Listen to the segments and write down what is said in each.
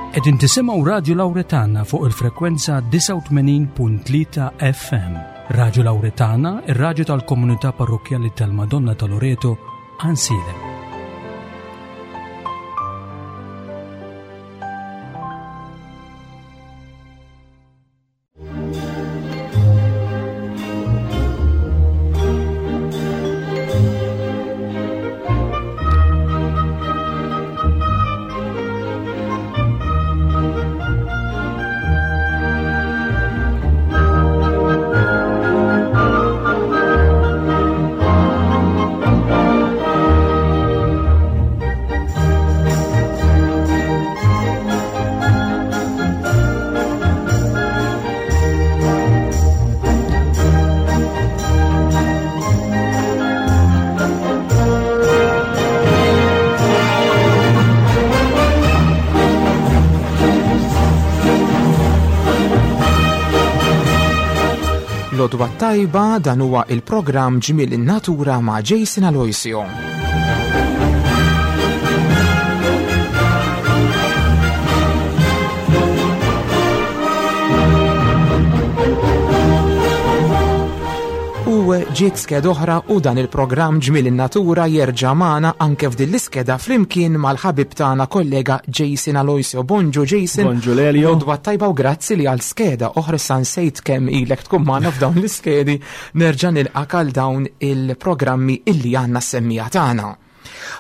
Qegħdin tisimgħu Radju Lawretana fuq il-frekwenza 89.3 FM. Radju Lawretana, ir-radju tal-komunità parrokkjali tal-Madonna ta' Loreto, Ansilem. Lodwa tajba dan huwa il-programm Ġmiel in-Natura ma' Jason Aloisio. U ġiet skeda oħra u dan il-programm Ġmiel in-Natura jerġa' magħna anke f'din l-iskeda flimkien mal-ħabib tagħna kollega Jason Aloisio. Bonġu Jason. Bonġu Lelio. Lodwa tajba u grazzi li għal skeda oħra issa nsejt kemm ilek tkun magħna f'dawn l-iskedi nerġa' nilqak għal dawn il-programmi illi għandna s-semmija tagħna.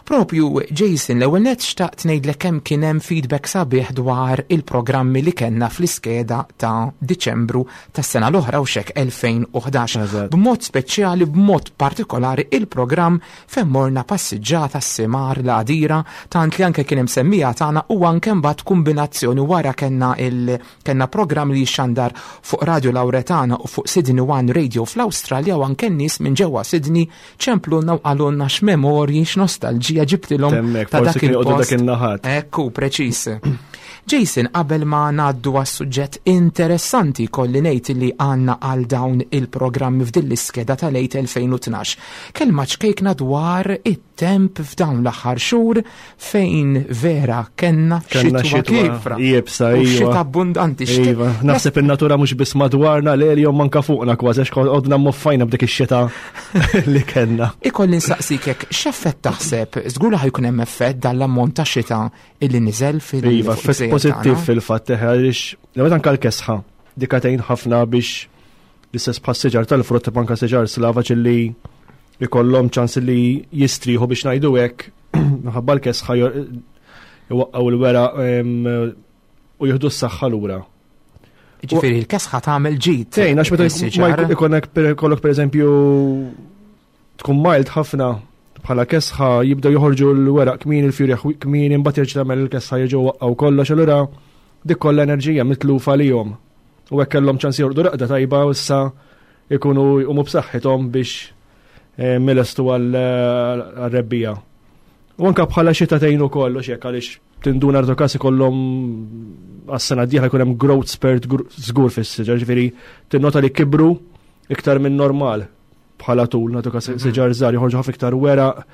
Propju, Jason, l-ewwel nett xtaqt ngħidlek kemm kien hemm feedback sabiħ dwar il-programmi li kellna fl-iskeda ta' Diċembru tas-sena l-oħra u xek 2011. B'mod speċjali, b'mod partikolari il-programm fejn morna passiġġata s-simar l-għadira tant li anke kien hemm semmija tagħna u anke mbagħad kombinazzjoni wara kellna il Kellna programm li jixxandar fuq Radio Lauretana u fuq Sydney One Radio fl-Awstralja u anke n-nies minn ġewwa Sydney ċemplulna u qalulna x'memorji, x'nostalġija ġibtilhom ta' dak il-post. Ekku, preċiż. Jason, qabel ma ngħaddu għas-suġġett interessanti kolli ngħid li għandna għal dawn il-programmi f'din l-iskeda tal-għid 2012. Kelma ċkejkna dwar it-temp f'dawn l-aħħar xhur fejn vera kenna xitwa kifra. Jibsa, iva. Xita abbundanti. Iva, naħseb in-natura mhux biss madwarna l jom manka fuqna kważi għax għodna moffajna b'dik ix-xita li kellna. Ikolli nsaqsikek, x'effett taħseb? Żgur li ħajkun hemm effett dan l-ammont ta' xita illi niżel fil- Iva, effett pożittiv fil-fatt għaliex l anka l-kesħa dikatejn ħafna biex l-istess bħas siġar tal-frott anka siġar slavaġ li ikollhom ċans li jistrieħu biex ngħidu hekk minħabba l-kesħa iwaqqgħu l-weraq u jieħdu s-saħħa lura. Ġifieri l-kesħa tagħmel ġid. Tgħin għax meta ikollok pereżempju tkun mild ħafna bħala kesħa jibdew joħorġu l-weraq kmin il-fjuri kmin imbagħad jerġa' tagħmel il-kesħa jerġgħu waqqgħu kollox allura dik kollha enerġija mitlufa lihom. U hekk kellhom ċans jorqdu raqda tajba u issa ikunu jqumu b'saħħithom biex eh, milestu għal-rebbija. U anka bħala xita tgħin ukoll u xek għaliex tinduna rtu każ ikollhom għas-sena d-dieħla jkun hemm growth spurt żgur fis-siġar, ġifieri tinnota li kibru iktar minn normal bħala tul, nagħtu każ mhm. siġar żgħar joħorġu ħafna iktar weraq,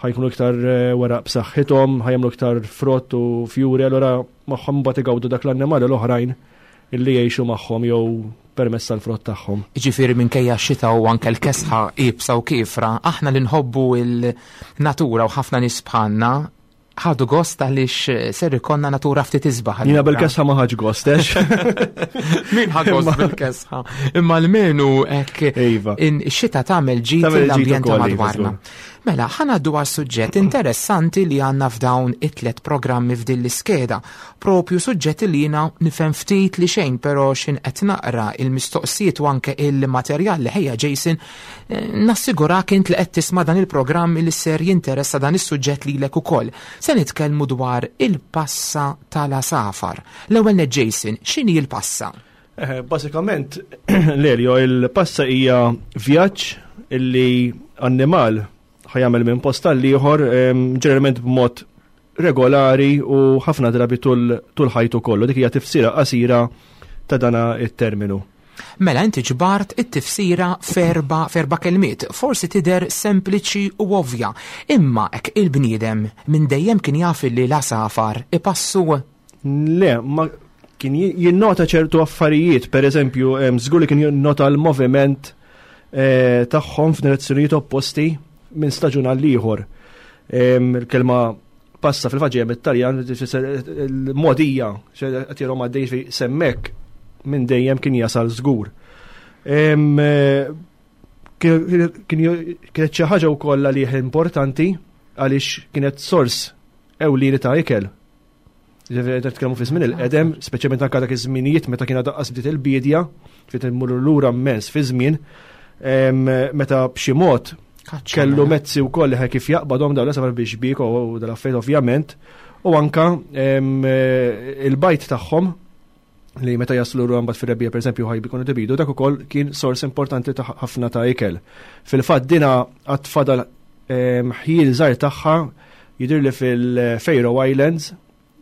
ħajkunu iktar eh, weraq b'saħħithom, ħajjamlu iktar frott u fjuri, allura magħhom mbagħad igawdu dak l-annimali l-oħrajn illi jgħixu magħhom jew permezz tal-frott tagħhom. Jiġifieri minkejja x-xita u anke l-kesħa iebsa u kiefra, aħna li nħobbu l-natura u ħafna nies bħalna ħadu gost għaliex ser ikollna natura ftit isbaħ. Jiena bil-kesħa ma ħadx gost, ex. Min ħa gost bil-kesħa? Imma l-menu hekk iva. xita tagħmel ġid l-ambjent iva, madwarna. Mela, ħa ngħaddu għal suġġett interessanti li għandna f'dawn it-tlet programmi f'din l-iskeda. Propju suġġett li jiena nifhem ftit li xejn, però x'in qed naqra il-mistoqsijiet u anke il-materjal li ħejja Jason, eh, nassigurak int li qed tisma' dan il-programm li ser jinteressa dan is-suġġett lilek ukoll. Se nitkellmu dwar il-passa tal-għasafar. L-ewwel net Jason, x'inhi l-passa? Eh, basikament, Lelio, il-passa hija vjaġġ illi annimal ħajamel minn post għal ieħor ġeneralment b'mod regolari u ħafna drabi tul ħajtu kollu. Dik hija tifsira qasira ta' dana it-terminu. Mela inti ġbart it-tifsira ferba ferba kelmiet, forsi tidher sempliċi u ovvja, imma hekk il-bniedem minn dejjem kien jaf li l-għasafar ipassu. Le, ma kien jinnota ċertu affarijiet, per eżempju, żgur li kien jinnota l-moviment eh, tagħhom f'direzzjonijiet opposti minn staġun għal ieħor. Il-kelma passa fil-fatt ġejja mit-Taljan, il-modija, qed jirhom għaddej semmek minn dejjem kien jasal żgur. Eh, kienet xi ħaġa wkoll għalih importanti għaliex kienet sors ewlieni ta' ikel. Ġifieri qed nitkellmu fi żmien il-qedem, speċjalment anke dak iż-żminijiet meta kien daqqas bdiet il-biedja, fi immurru lura mmens fi żmien, meta b'xi mod kellu mezzi wkoll li kif jaqbadhom dawn l-asafar biex bik u dal-affarijiet ovvjament, u anka il-bajt tagħhom li meta jaslu l mbagħad fir-rebbija pereżempju ħajbi jkunu tibidu dak ukoll kien sors importanti ta' ħafna ta' ikel. Fil-fatt dina għad fadal ħjiel żgħir tagħha jidhir li fil-Faroe Islands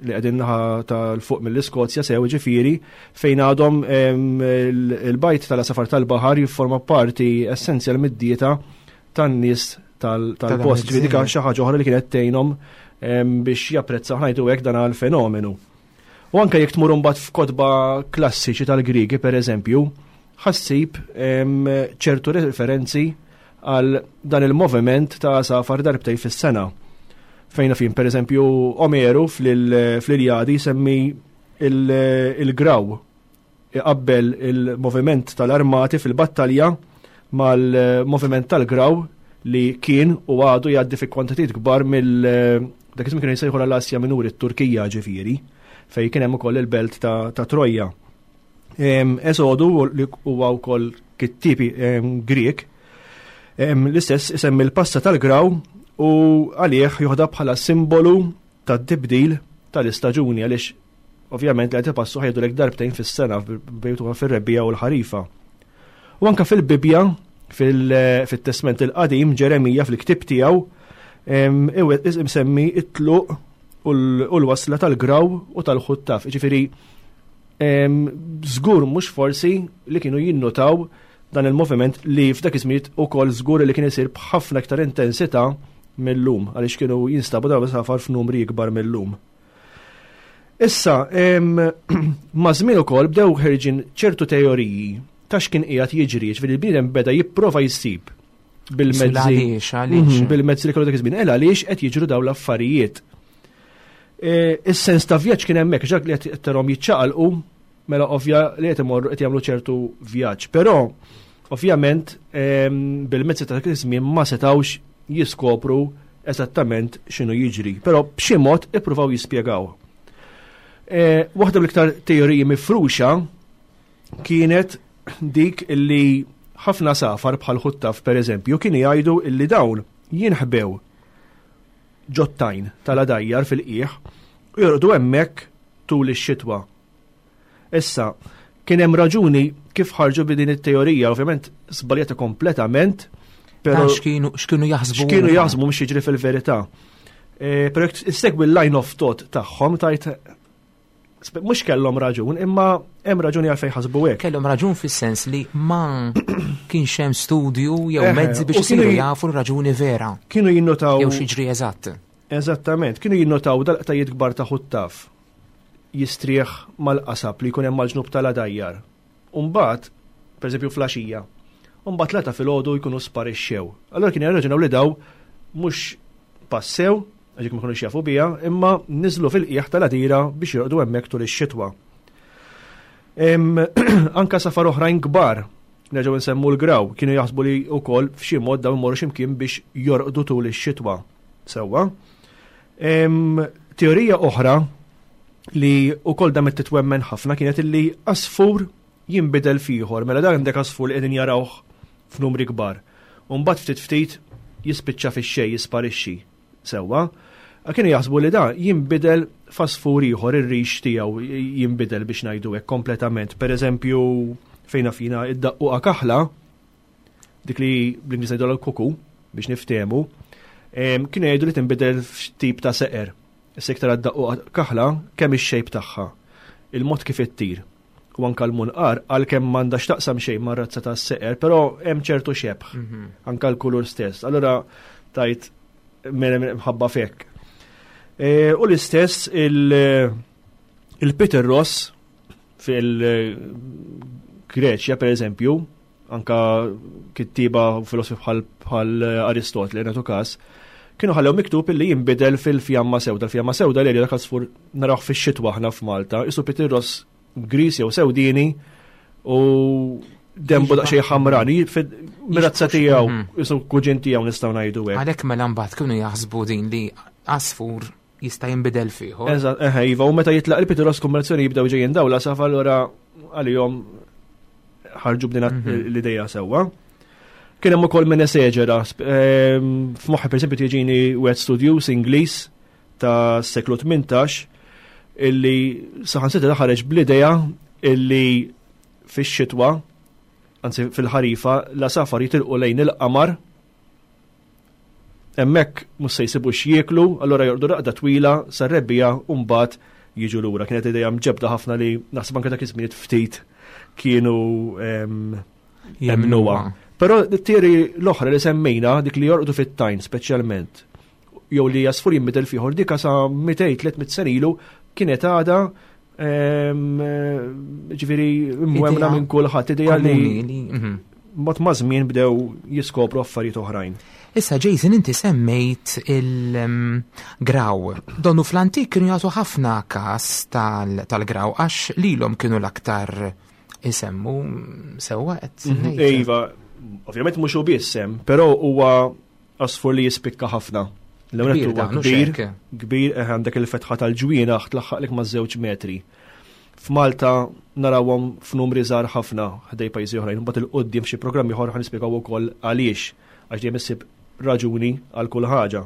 li qegħdin naħa tal-fuq mill-Iskozja sew ġifieri fejn għadhom il-bajt tal-asafar tal-baħar jifforma parti essenzjal mid-dieta tan-nies tal-post. Ġifieri dik xi ħaġa oħra li kienet tgħinhom biex japprezzaw ħajtu hekk dan għal-fenomenu. U anke jekk tmur imbagħad f'kotba klassiċi tal-Griegi pereżempju, ħassib ċertu referenzi għal dan il-moviment ta' għasafar darbtej fis-sena. Fejn fin pereżempju Omeru fl-Iljadi semmi il-graw iqabbel il-moviment tal-armati fil-battalja mal-moviment tal-graw li kien u għadu jgħaddi fi kwantitajiet kbar mill dak iż-żmien kienu jsejħu l-Asja Minuri t-Turkija ġifieri fejn kien hemm ukoll il-belt ta', ta Trojja. Esodu li huwa wkoll kittibi Grieg l-istess isemmi l-passa tal-graw u għalih joħda bħala simbolu tat-tibdil tal-istaġuni għaliex ovvjament li qed ipassu ħajdulek darbtejn fis-sena bejtuha fir-rebbiegħa u l-ħarifa. U anka fil-Bibbja fil-Testment il-Qadim Ġeremija fil-ktieb tiegħu imsemmi it-tluq u l-wasla tal-graw u tal-ħuttaf. Ġifieri żgur mhux forsi li kienu jinnutaw dan il-moviment li f'dak iż-żmien ukoll żgur li kien isir b'ħafna iktar intensità mil-lum għaliex kienu jinstabu dawn safar f'numri ikbar mil-lum. Issa, ma' żmien ukoll bdew ħerġin ċertu teoriji ta' x'kien qiegħed jiġri, ġifieri l-bniedem beda jipprova jsib bil-mezzi. Mhm, bil-mezzi li kellu dak iż-żmien, el għaliex qed jiġru dawn l-affarijiet. E, is-sens ta' vjaġġ kien hemmhekk, ġak li qed tarhom jiċċaqalqu, mela ovvja li qed imorru qed jagħmlu ċertu vjaġġ. Però ovvjament bil-mezzi ta' dak iż-żmien ma setgħux jiskopru eżattament x'inhu jiġri, però b'xi mod ippruvaw jispjegaw. E, waħda mill-iktar teoriji mifruxa kienet dik illi ħafna safar bħal ħuttaf per eżempju kienu jgħidu illi dawn jinħbew ġottajn tal-adajjar fil-qiegħ u jorqdu hemmhekk tul ix-xitwa. Issa, kien hemm raġuni kif ħarġu bi din it-teorija, ovvjament żbaljata kompletament, però x'kienu x'kienu jaħsbu. X'kienu jaħsbu mhux jiġri fil-verità. E, però jekk issegwi l-line of thought tagħhom tajt mhux kellhom raġun, imma hemm raġuni għalfejn ħasbu hekk. Kellhom raġun fis-sens li ma kienx hemm studju jew mezzi biex isiru jafu r-raġuni vera. Kienu jinnotaw jew xi eżatt. Eżattament, kienu jinnotaw dal-qtajiet kbar ta' ħuttaf jistrieħ mal-qasab li jkun hemm mal-ġnub tal-għadajjar. U mbagħad, pereżempju flaxija, u mbagħad l-għata filgħodu jkunu sparixxew. Allura kien jirraġunaw li daw mhux passew, għax ma kinux jafu biha, imma niżlu fil-qiegħ tal-għadira biex jorqdu hemmhekk tul ix-xitwa. Anka safar oħrajn kbar, nerġgħu nsemmu l-graw, kienu jaħsbu li wkoll f'xi mod dawn imorru x'imkien biex jorqdu tul ix-xitwa. Sewwa. Teorija oħra li wkoll damet titwemmen ħafna kienet illi asfur jinbidel f'ieħor, mela dan għandek asfur li qegħdin jarawh f'numri kbar. U mbagħad ftit ftit jispiċċa fix-xejn jisparixxi. Sewwa. Kienu jaħsbu li dan jinbidel f'asfur ieħor ir-rix tiegħu jinbidel biex ngħidu hekk kompletament. Pereżempju fejn fina id-daqquqa kaħla dik li bl-Ingliż ngħidu l-kuku biex niftehmu, kienu jgħidu li tinbidel f'tip ta' seqer. Issa iktar għad kaħla kemm ix-xejp tagħha, il-mod kif ittir. U anka l-munqar għalkemm m'għandha x'taqsam xejn mar-razza tas-seqer, però hemm ċertu xebħ, mhm. anka l-kulur stess. Allura tajt mħabba fek. E, u l-istess il- Il-Peter Ross fil-Greċja, per eżempju, anka kittiba u filosofi bħal Aristotli, nagħtu każ, kienu ħallew miktub illi jinbidel fil-fjamma sewda. Il-fjamma sewda li dak għasfur narawh fix-xitwa aħna f'Malta, isu Peter Ross gris jew sewdini u dembu daqsxejn ħamrani, mirazza tiegħu, isu kuġin tiegħu nistgħu ngħidu hekk. Għalhekk mela mbagħad kienu jaħsbu din li għasfur jista' jinbidel fih. Eżatt, eħe, iva, u meta jitlaq il-Pitiros kombinazzjoni jibdew ġejjin dawla safa allura għalihom ħarġu b'din l-idea sewwa. Kien hemm ukoll min eseġera, f'moħħi pereżempju tiġini wieħed studjuż Ingliż ta' seklu 18 illi saħansitra ħareġ bl-idea illi fix-xitwa, anzi fil-ħarifa, la safar jitilqu lejn il-qamar Hemmhekk mhux se jsibu x'jieklu, allura jorqdu raqda twila sar-rebbiegħa u mbagħad jiġu lura. Kienet idea mġebbda ħafna li naħseb anke dak iż-żminijiet ftit kienu jemmnuha. Però t-tieri l-oħra li semmejna, dik li jorqdu fit-tajn speċjalment, jew li jasfur jinbidel fieħor, dika sa 200-300 sena ilu kienet għadha ġifieri mwemna minn kulħadd idea li mbagħad ma' żmien bdew jiskopru affarijiet oħrajn. Issa Jason inti semmejt il-graw. Donnu fl-antik kienu jagħtu ħafna każ tal-graw għax lilhom kienu l-aktar isemmu sewwa qed Iva, ovvjament mhux hu biss hemm, però huwa Għasfur li jispikka ħafna. L-ewwel huwa kbir, kbir eh, għandek il-fetħa tal-ġwienaħ tlaħħaqlek ma' żewġ metri. F'Malta narawhom f'numri żgħar ħafna ħdej pajjiżi oħrajn, mbagħad il-qudiem f'xi programmi oħra ħa nispjegaw ukoll għaliex, għax dejjem issib raġuni għal kull ħaġa.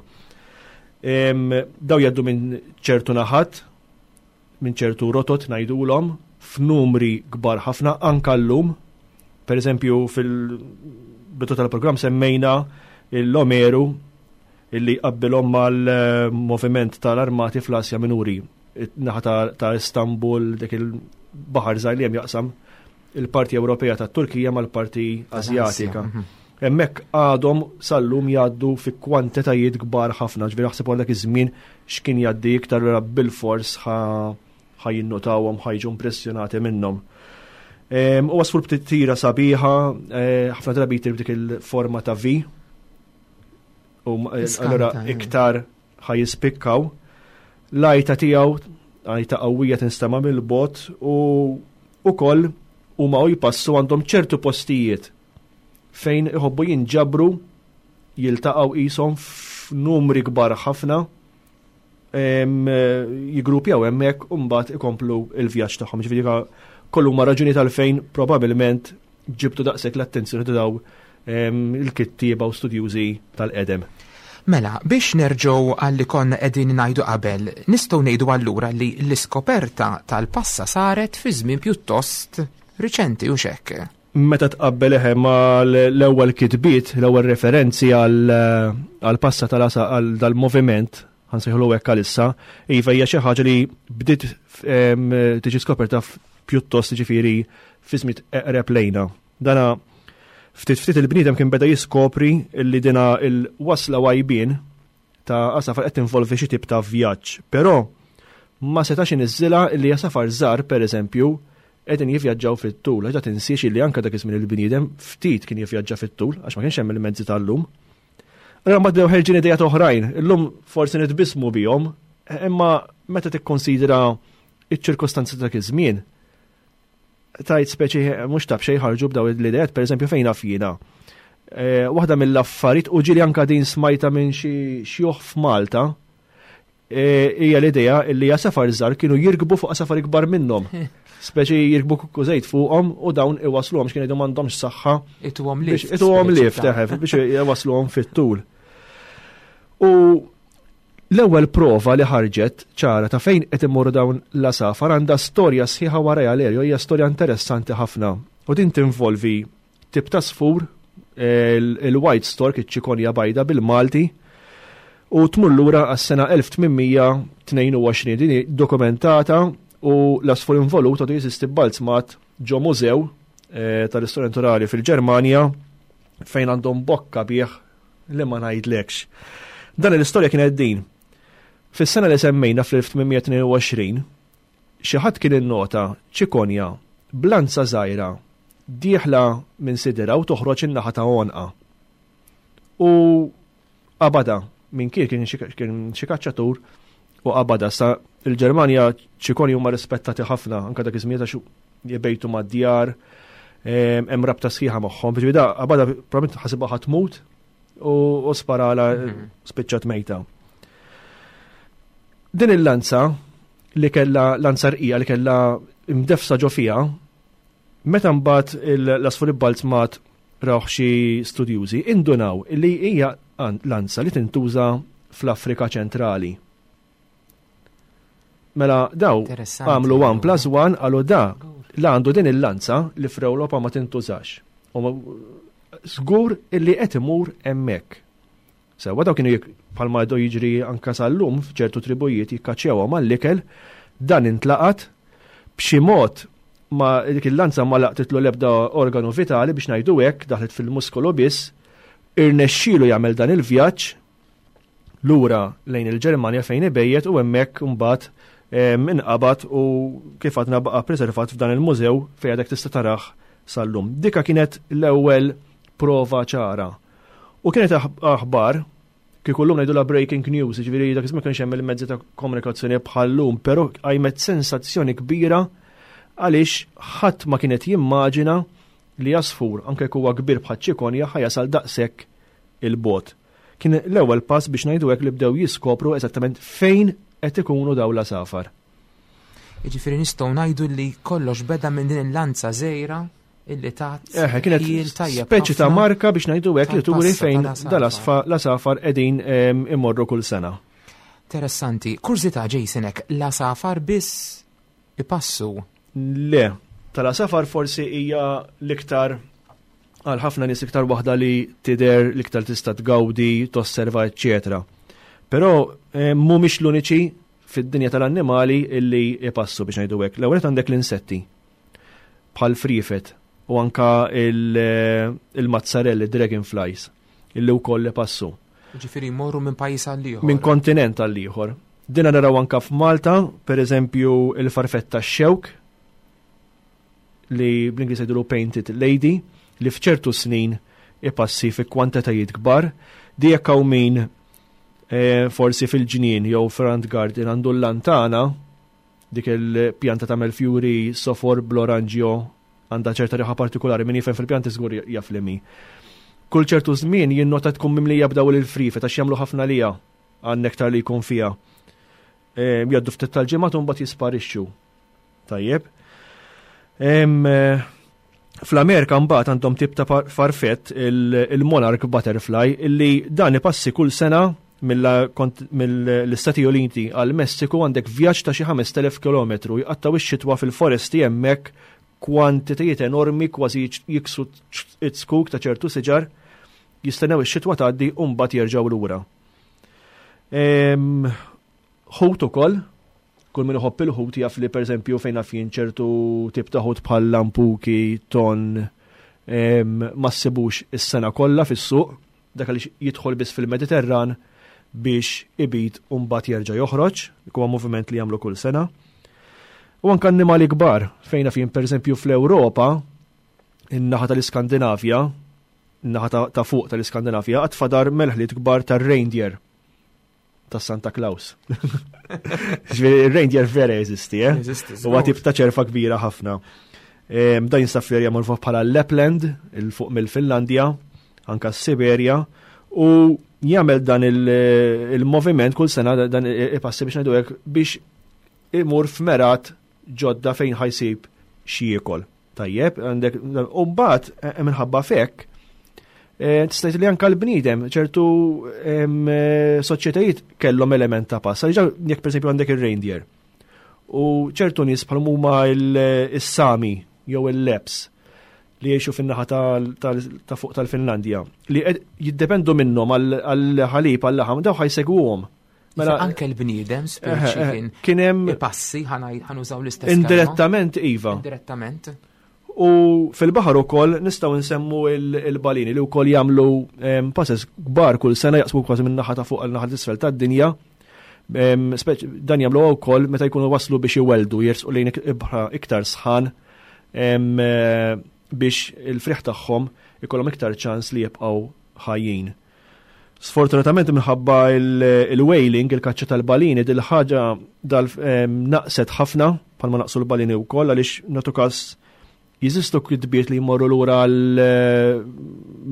Daw jgħaddu minn ċertu naħat, minn ċertu rotot ngħidulhom f'numri kbar ħafna anka llum. Per eżempju fil-bidu tal-programm semmejna l-Omeru illi qabbilhom mal-moviment tal-armati fl-Asja Minuri, naħa ta' Istanbul, dik il-baħar żgħir li hemm jaqsam il-parti Ewropea tat-Turkija mal-parti Asjatika. Hemmhekk għadhom sal-lum jgħaddu fi kwantitajiet kbar ħafna, ġifieri aħseb għal dak iż-żmien x'kien jgħaddi iktar allura bilfors ħa jinnotawhom, ħa jiġu impressjonati minnhom. U għasfur b'titira sabiħa, eh, ħafna drabi jtir b'dik il-forma ta' V. U eh, allura eh. iktar ħa jispikkaw. L-għajta tiegħu għajta qawwija tinstema' mill-bot u ukoll huma u jpassu għandhom ċertu postijiet fejn iħobbu jinġabru jiltaqgħu qishom f'numri kbar ħafna jigrupjaw hemmhekk u mbagħad ikomplu l-vjaġġ tagħhom. Ġifieri kollu ma raġuni tal-fejn probabbilment ġibtu daqshekk l-attenzjoni ta' daw il-kittieba u studjużi tal-qedem. Mela, biex nerġgħu għal li konna qegħdin ngħidu qabel, nistgħu ngħidu allura li l-iskoperta tal-passa saret fi żmien pjuttost riċenti u xekk. Meta tqabbel eħe ma l-ewwel kitbiet, l-ewwel referenzi għal passa tal-għasa għal dal-moviment, ħansejħulu hekk għalissa, iva hija xi ħaġa li bdiet tiġi skoperta pjuttost ġifieri fi żmien eqreb lejna. Dana ftit ftit il-bniedem kien beda jiskopri li dina il-wasla għajbien ta' għasafar qed tinvolvi xi tip ta' vjaġġ, però ma setax iniżżilha li għasafar żgħar pereżempju qegħdin jivvjaġġaw fit-tul, għax da tinsiex illi anke dak iż-żmien il-bniedem ftit kien jivvjaġġa fit-tul għax ma kienx hemm il-mezzi tal-lum. Allura mbagħad bdew ħerġin idejat oħrajn, illum forsi nitbissmu bihom, imma meta tikkonsidra iċ-ċirkostanzi ta' dak iż-żmien, tajt speċi mhux taf xejn ħarġu b'daw l-idejat, pereżempju fejn naf jiena. Eh, waħda mill-affarijiet u ġieli anka din smajta minn xi xjuħ f'Malta, eh, hija l-idea li għasafar żgħar kienu jirkbu fuq għasafar ikbar minnhom. Speċi jirkbu kukkużejt fuqhom u dawn iwasluhom x'kien jgħidu m'għandhomx saħħa. Ituhom lift. Ituhom lift, eħe, biex iwasluhom fit-tul. U L-ewwel prova li ħarġet ċara ta' fejn qed imorru dawn l-għasafar għandha storja sħiħa warajha Lerjo hija storja interessanti ħafna u din tinvolvi tip ta' sfur il-white stork iċ-ċikonja bajda bil-Malti u tmur lura għas-sena 1822 din hi dokumentata u l-għasfur involut għadu jeżisti b'balzmat ġo mużew eh, tal-istorja naturali fil-Ġermanja fejn għandhom bokka bih li ma ngħidlekx. Dan l-istorja kienet din. Fis-sena li semmejna fl-1822, Xi ħadd kien innota ċikonja b'lanza żgħira dieħla minn sidirha u toħroġ in-naħa ta' għonqha. U qabadha minn kien kien xi kaċċatur u qabadha. Sa il-Ġermanja ċikonji huma rispettati ħafna anke dak iż-żmien għax jbejtu mad-djar, hemm rabta sħiħa magħhom. Ġifieri da qabadha probabbilment ħasibha ħa tmut u sparala spiċċat mejta. Din il-lanza li kellha lanza rqija li kellha imdefsa ġo fiha, meta mbagħad l-asfur ibbalzmat rawh xi studjużi, indunaw li hija lanza li tintuża fl-Afrika ċentrali. Mela daw għamlu 1 plus 1 għalu da la għandu din il-lanza li fl-Ewropa ma tintużax. U żgur illi qed imur hemmhekk. Sewwa daw kienu bħalma għadu jiġri anka sal-lum f'ċertu tribujiet jikkaċċjawhom għall-ikel, dan intlaqat b'xi mod ma dik il-lanza ma laqtitlu l-ebda organu vitali biex ngħidu hekk, daħlet fil-muskolu biss, irnexxielu jagħmel dan il-vjaġġ lura lejn il-Ġermanja fejn ibejjet u hemmhekk imbagħad inqabad u kif għadna baqa' preservat f'dan il-mużew fejn għadek tista' tarah sal-lum. Dika kienet l-ewwel prova ċara. U kienet aħbar, kieku llum ngħidulha breaking news, jiġifieri dak iż-żmien kienx hemm il-mezzi ta' komunikazzjoni bħal-lum, però qajmet sensazzjoni kbira għaliex ħadd ma kienet jimmaġina li għasfur, anke jekk huwa kbir bħaċ-ċikonja, ħa jasal daqshekk il-bogħod. Kien l-ewwel pass biex ngħidu hekk li bdew jiskopru eżattament fejn qed ikunu dawn l-għasafar. Jiġifieri nistgħu ngħidu li kollox beda minn din il-lanza żgħira illi tat. Eħe, kienet speċi ta' marka biex ngħidu hekk li turi fejn dal-għasafar qegħdin imorru kull sena. Interessanti. Kurżità Jason hekk, l-għasafar biss ipassu? Le, tal-għasafar forsi hija l-iktar għal ħafna nies iktar waħda li tidher l-iktar tista' tgawdi, tosserva, eċċetera. Però mhumiex l-uniċi fid-dinja tal-annimali illi ipassu biex ngħidu hekk. L-ewwel għandek l-insetti bħal friefet u anka il-mazzarelli, dragonflies, illi wkoll ipassu. Ġifieri jmorru minn pajjiż għal ieħor. Minn kontinent għal ieħor. Dina naraw anka f'Malta, per eżempju, il-farfetta xewk li bl-Ingliż jgħidulu Painted Lady, li f'ċertu snin ipassi fi kwantitajiet kbar. Di jekk hawn min eh, forsi fil-ġnien jew front garden għandu l-lantana, Dik il-pjanta tagħmel fjuri sofor bl-oranġjo għandha ċerta riħa partikolari, min jifhem fil-pjanti żgur jaf li mi. Kull ċertu żmien jinnota tkun mimlija b'dawl il-frifet għax jagħmlu ħafna lija għan-nektar li jkun fiha. Ehm, jgħaddu ftit tal-ġimgħat u mbagħad jisparixxu. Tajjeb. Ehm, fl-Amerika mbagħad għandhom tip ta' farfett il-Monarch Butterfly illi dan ipassi kull sena mill-Istati Uniti għal Messiku għandek vjaġġ ta' xi 5000 kilometru jqattgħu x-xitwa fil-foresti hemmhekk kwantitajiet enormi kważi jiksu it-skuk ta' ċertu siġar jistennew ix-xitwa tgħaddi u mbagħad jerġgħu lura. Ħut ukoll, kull min iħobb il-ħut jaf li pereżempju fejn naf jien ċertu tip ta' ħut bħal lampuki, ton, ma ssibux is-sena kollha fis-suq, dak għaliex jidħol biss fil-Mediterran biex ibid u mbagħad jerġa' joħroġ, huwa moviment li jagħmlu kull sena. U anke annimali kbar, fejn naf jien pereżempju fl-Ewropa, in-naħa tal-Iskandinavja, in-naħa ta' fuq tal-Iskandinavja, għad fadar melħliet kbar tar-reindeer ta' Santa Claus. Ġifieri ir-reindeer vera jeżisti, eh? Huwa tip ta' ċerfa kbira ħafna. Dan jinsab fl-erja magħrufa bħala Lapland, il fuq mill-Finlandja, anka s-Siberja, u jagħmel dan il-moviment kull sena dan ipassi biex ngħidu hekk biex imur f'merat ġodda fejn ħajsib xi jiekol. Tajjeb, għandek, u mbagħad eh, minħabba fekk, eh, tista' li anka l-bniedem ċertu eh, soċjetajiet kellhom element ta' pass. Għaliex jekk pereżempju għandek ir-reindeer. U ċertu nies bħal huma il-Sami jew il-Leps li jgħixu fin-naħa ta' fuq tal-Finlandja li jiddependu minnhom għall-ħalib għall-laħam daw ħajsegwuhom. Mela anke l-bniedem speċi kien kien hemm passi ħanużaw l-istess. Indirettament iva. Indirettament. U fil-baħar ukoll nistgħu nsemmu il-balini li wkoll jagħmlu passes kbar kull sena jaqsmu kważi minn naħa ta' fuq għal naħa t'isfel tad-dinja. Dan jagħmlu wkoll meta jkunu waslu biex iwelldu jersqu lejn ibħra iktar sħan eh, biex il-friħ tagħhom ikollhom iktar ċans li jibqgħu ħajjin. Sfortunatament minħabba il-whaling, il-kaċċa tal-balini, dil-ħaġa dal naqset ħafna bħalma naqsu l-balini wkoll għaliex nagħtu każ jeżistu kitbiet li jmorru lura għal eh,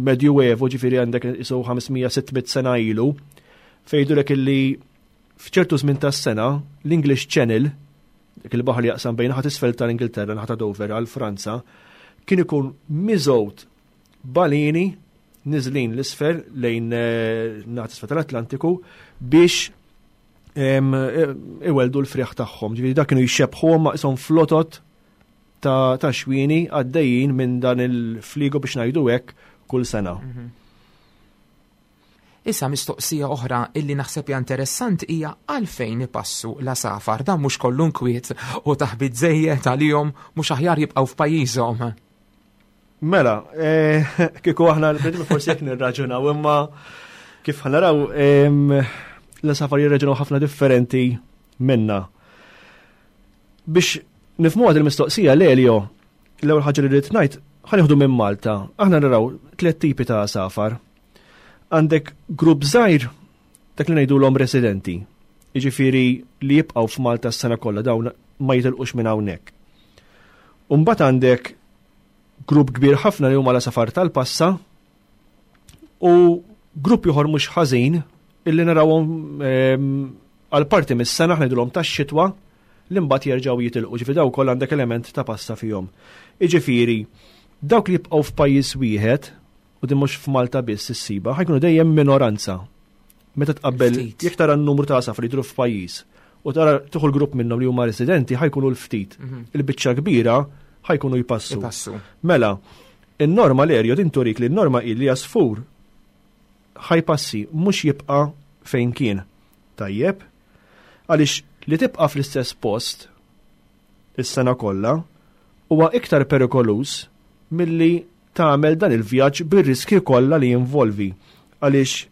Medjuevo, ġifieri għandek isu 500-600 sena ilu, fejdulek illi f'ċertu żmien tas-sena l-English Channel, dik il-baħar li jaqsam bejn naħa t'isfel tal-Ingilterra, naħa ta' Dover għal Franza, kien ikun miżgħud balini niżlin l-isfel lejn eh, naħa t'isfel tal-Atlantiku biex eh, iweldu l-friħ tagħhom. Ġifieri dak kienu jxebħuhom ma' ishom flotot ta', ta xwieni għaddejjin minn dan il-fligo biex ngħidu hekk kull sena. Mhm. Issa mistoqsija oħra illi naħseb hija interessanti hija għalfejn ipassu l-għasafar, dan mhux kollu nkwiet u taħbit żejjed għalihom mhux aħjar jibqgħu f'pajjiżhom. Mela, eh, kieku aħna l-bnedmin forsi jekk nirraġunaw, imma kif ħanaraw l-għasafar jirraġunaw ħafna differenti minna. Biex nifhmu għad il-mistoqsija l-Elio, l-ewwel ħaġa li rrid ngħid, ħanieħdu minn Malta. Aħna naraw tliet tipi ta' għasafar. Għandek grupp żgħir dak li ngħidulhom residenti. Jiġifieri li jibqgħu f'Malta s-sena kollha dawn ma jitilqux minn hawnhekk. U mbagħad għandek grupp kbir ħafna li huma l-għasafar tal-passa u grupp ieħor mhux ħażin illi narawhom ehm, għal parti mis-sena ħnidulhom tax-xitwa li mbagħad jerġgħu jitilqu, ġifieri daw ukoll għandek element ta' passa fihom. Jiġifieri, dawk li jibqgħu f'pajjiż wieħed, u din mhux f'Malta biss issiba, ħajkunu dejjem minoranza. Meta tqabbel jekk tara n-numru ta' għasafar li jidhru f'pajjiż u tara tieħu l-grupp minnhom li huma residenti ħajkunu l-ftit. Mhm. Il-biċċa kbira ħajkunu jpassu. Mela, in-norma l-erjo din turik li n-norma hi li għasfur ħajpassi mhux jibqa' fejn kien. Tajjeb, għaliex li tibqa' fl-istess post is-sena kollha huwa iktar perikoluż milli tagħmel dan il-vjaġġ bir-riskji kollha li jinvolvi għaliex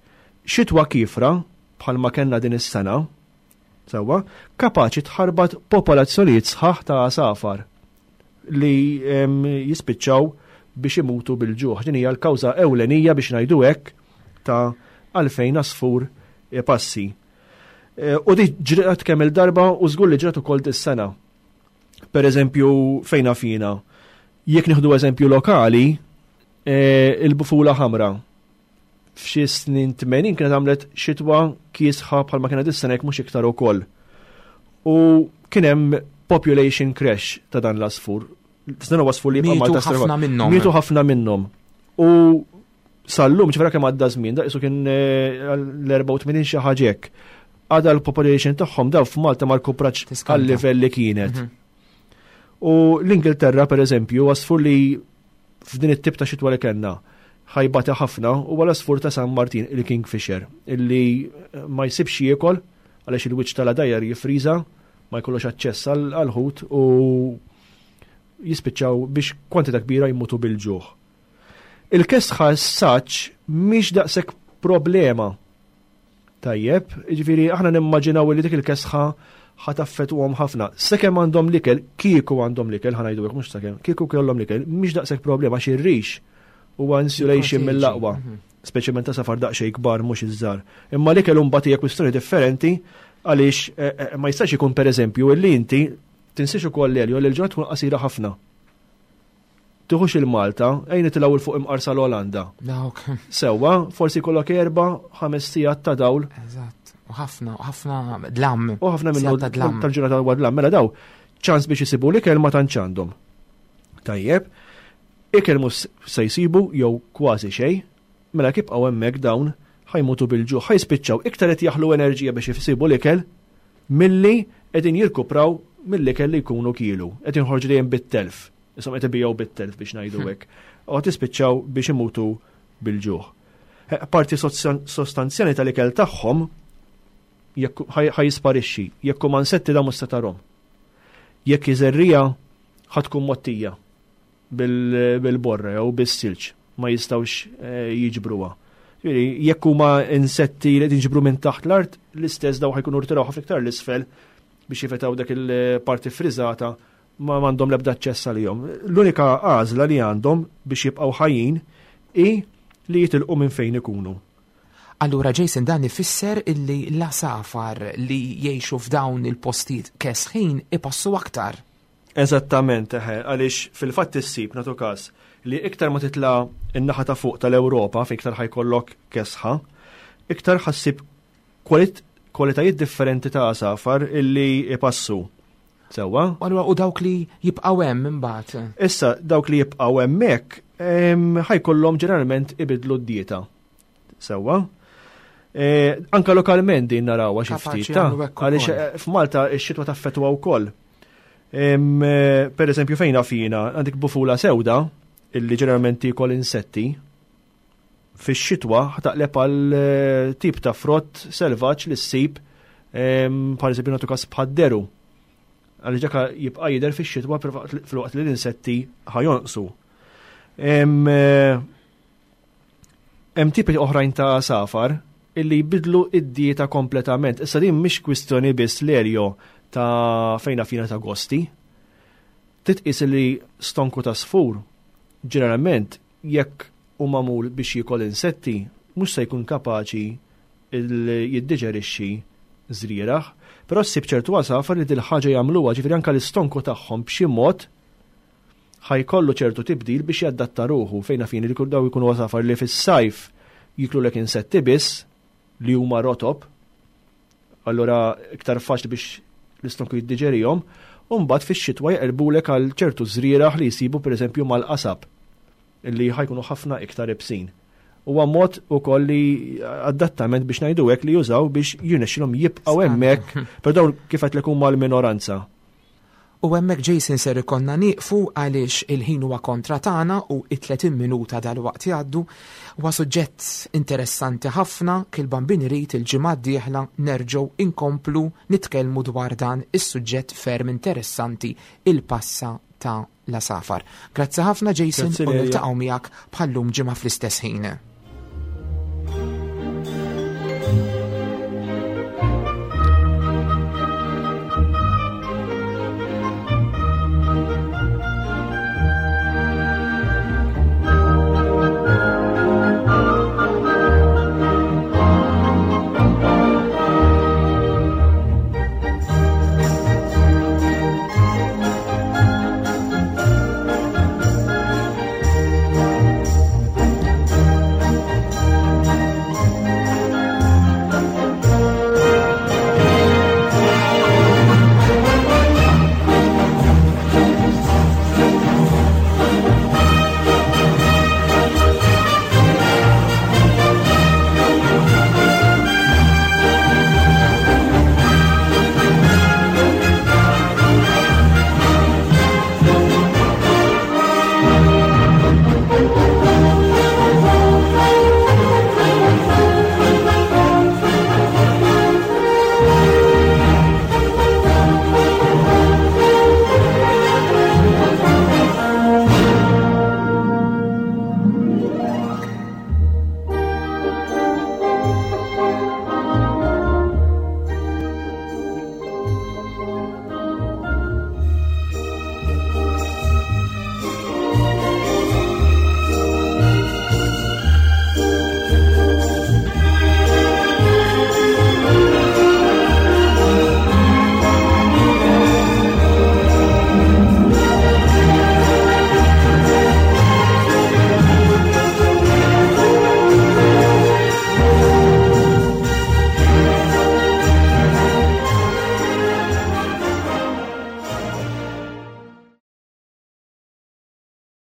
xitwa kiefra bħalma kellna din is-sena, sewwa, kapaċi tħarbat popolazzjonijiet sħaħ ta' għasafar li jispiċċaw biex imutu bil-ġuħ. Din hija l-kawża ewlenija biex ngħidu hekk ta' għalfejn għasfur passi. E, u di ġrat kemm il-darba u żgur li ġrat ukoll dis-sena. Per eżempju, fejna fina, jekk nieħdu eżempju lokali, e, il-bufula ħamra f'xi snin 80 kienet għamlet xitwa kiesħa bħalma kienet is-sena jekk mhux iktar ukoll. U kien hemm population crash ta' dan l-asfur. Dan huwa asfur li jibqa' Malta ħafna minnhom. Mietu ħafna minnhom. U sal-lum ċifra kemm għadda żmien, daqisu kien eh, l-84 xi ħaġa hekk. Għadha l-population tagħhom daw f'Malta ma rkuprax għal-livell li kienet. Mhm. U l-Ingilterra per eżempju, għasfur li f'din it-tip ta' xitwa li kellna ħajbata ħafna huwa l-għasfur ta' San Martin, il-Kingfisher, illi eh, ma jsibx jiekol għaliex il-wiċċ tal-għadajjar jifriża, ma jkollux aċċess għall-ħut u jispiċċaw biex kwantità kbira jmutu bil-ġuħ. Il-kesħa s-saċ mhix daqshekk problema. Tajjeb, jiġifieri aħna nimmaġinaw li dik il-kesħa ħa taffettwahom ħafna. Sakemm għandhom l-ikel, kieku għandhom l-ikel, ħa ngħidu hekk mhux sakemm, kieku kellhom l-ikel, mhix daqshekk problema għax ir-rix huwa insulation mill-aqwa. Mhm. Speċjalment ta' safar daqsxejn kbar mhux iż-żgħar. Imma l-ikel imbagħad hija kwistjoni differenti għaliex eh, eh, ma jistax ikun pereżempju illi inti tinsiex ukoll l-elju li l-ġurnata tkun qasira ħafna. Tiħux il-Malta, ejn nitilgħu 'l fuq imqar sal-Olanda. Dawk. Sewwa, forsi jkollok erba' ħames sigħat ta' dawl. Eżatt. U ħafna, u ħafna dlam. U ħafna minnu tal-ġurnata huwa dlam. Mela daw, ċans biex isibu l-ikel ma tantx għandhom. Tajjeb, ikel mhux se jsibu jew kważi xejn, mela jekk jibqgħu hemmhekk dawn ħajmutu bil-ġuħ, ħajspiċċaw iktar qed jaħlu enerġija biex isibu l-ikel milli qegħdin jirkupraw mill-ikel li jkunu kielu, qed jinħorġu dejjem bit-telf. Isom qed ibijaw bit-telf biex ngħidu hekk. U qed jispiċċaw biex imutu bil-ġuħ. Eh, parti sostanzjali tal-ikel tagħhom jekk ħajisparixxi, jekk huma insetti da mhux se tarhom. Jekk iżerrija ħa tkun mottija bil-borra jew bis-silġ ma jistgħux eh, jiġbruha. Ġifieri, jekk huma insetti li qed jinġibru minn taħt l-art, l-istess daw ħajkunu rtiraw ħafna iktar l-isfel biex jifetaw dak il-parti friżata ma m'għandhom l-ebda aċċess għalihom. L-unika għażla li għandhom biex jibqgħu ħajjin hi li jitilqu minn fejn ikunu. Allura Jason dan ifisser illi l-għasafar li jgħixu f'dawn il-postijiet kesħin ipassu aktar. Eżattament, eħe, għaliex fil-fatt issib nagħtu każ li iktar ma titla' n-naħa ta' fuq tal-Ewropa fejn iktar ħajkollok kesħa, iktar ħassib kwalitajiet differenti ta' għasafar illi ipassu. Sewwa? Allura u dawk li jibqgħu hemm imbagħad? Issa dawk li jibqgħu hemmhekk ħajkollhom ġeneralment ibidlu d-dieta. Sewwa. E, anka lokalment din narawha xi ftit ta' għaliex eh, f'Malta x-xitwa taffetwa wkoll. E, per eżempju fejn fina għandek bufula sewda illi ġeneralment tiekol insetti fix-xitwa taqleb għal eh, tip ta' frott selvaġġ li ssib per eżempju nagħtu każ bħad-deru. Għaliex dak jibqa' jidher fix-xitwa filwaqt li l-insetti ħajonqsu. Hemm tipi oħrajn ta' għasafar illi jbidlu id-dieta kompletament. Issa din mhix kwistjoni biss l-erjo ta' fejna fina ta' gosti. Titqis li stonku ta' sfur ġeneralment jekk hu magħmul biex jiekol insetti mhux se jkun kapaċi jiddiġerixxi żrieragħ, però ssib ċertu għasafar li dil-ħaġa jagħmluha, ġifieri anke l-istonku tagħhom b'xi mod ħa jkollu ċertu tibdil biex jadatta ruħu, fejn naf jien li daw jkunu għasafar li fis-sajf jiklulek insetti biss li huma rotob, allura iktar faċli biex l-istonku jiddiġerihom, u mbagħad fix-xitwa jaqilbulek għal ċertu żrieragħ li jsibu pereżempju mal-qasab li ħajkunu ħafna iktar ibsin. Huwa mod ukoll li adattament biex ngħidu hekk li jużaw biex jirnexxilhom jibqgħu hemmhekk, però dawn kif għedtlek huma l-minoranza. U hemmhekk Jason ser ikollna nieqfu għaliex il-ħin huwa kontra tagħna u it-30 minuta dalwaqt jgħaddu. Huwa suġġett interessanti ħafna, kil-Bambin irid il-ġimgħa d-dieħla nerġgħu inkomplu nitkellmu dwar dan is-suġġett ferm interessanti il-passa ta' l-għasafar. Grazzi ħafna Jason u niltaqgħu miegħek bħal-lum ġimgħa fl-istess ħin.